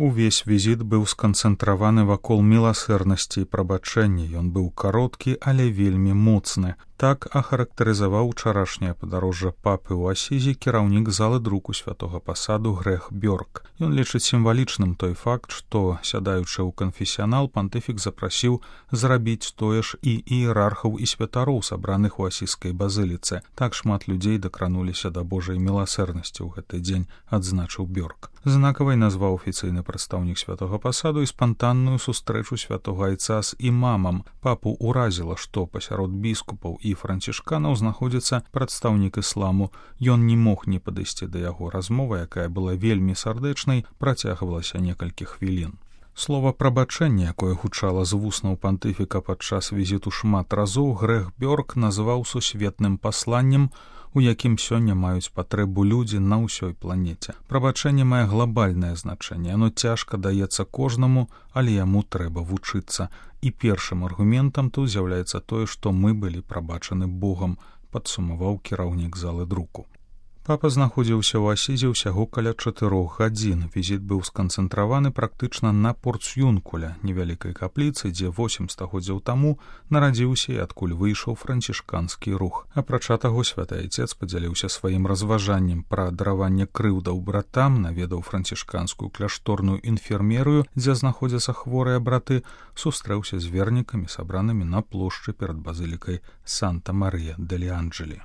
Увесь візіт быў сканцэнтраваны вакол міласэрнасці і прабачэння. Ён быў кароткі, але вельмі моцны. Так ахарактарызаваў учарашняе падарожжа папы ў Асізі кіраўнік залы друку святога пасаду Грег Бёрк. Ён лічыць сімвалічным той факт, што, сядаючы ў канфесіянал, пантыфік запрасіў зрабіць тое ж і іерархаў і святароў, сабраных у асізскай базыліцы. Так шмат людзей дакрануліся да Божай міласэрнасці ў гэты дзень, адзначыў Бёрк. Знакавай назваў афіцыйны прадстаўнік святога пасаду і спантанную сустрэчу святога айца з імамам. Папу ўразіла, што пасярод біскупаў і францішканаў знаходзіцца прадстаўнік ісламу. Ён не мог не падысці да яго. Размова, якая была вельмі сардэчнай, працягвалася некалькі хвілін. Слова прабачэння, якое гучала з вуснаў пантыфіка падчас візіту шмат разоў, Грег Бёрк назваў сусветным пасланнем, у якім сёння маюць патрэбу людзі на ўсёй планеце. Прабачэнне мае глобальнае значэнне. Оно цяжка даецца кожнаму, але яму трэба вучыцца. І першым аргументам тут з'яўляецца тое, што мы былі прабачаны Богам, падсумаваў кіраўнік залы друку. Папа знаходзіўся ў Асізе ўсяго каля 4 гадзін. Візіт быў сканцэнтраваны практычна на Порцюнкуля, невялікай капліцы, дзе 8 стагоддзяў таму нарадзіўся і адкуль выйшаў францішканскі рух. Апрача таго, святы айцец падзяліўся сваім разважаннем пра дараванне крыўдаў братам, наведаў францішканскую кляшторную інфермерыю, дзе знаходзяцца хворыя браты, сустрэўся з вернікамі, сабранымі на плошчы перад базылікай Санта-Марыя-дель-Анджелі.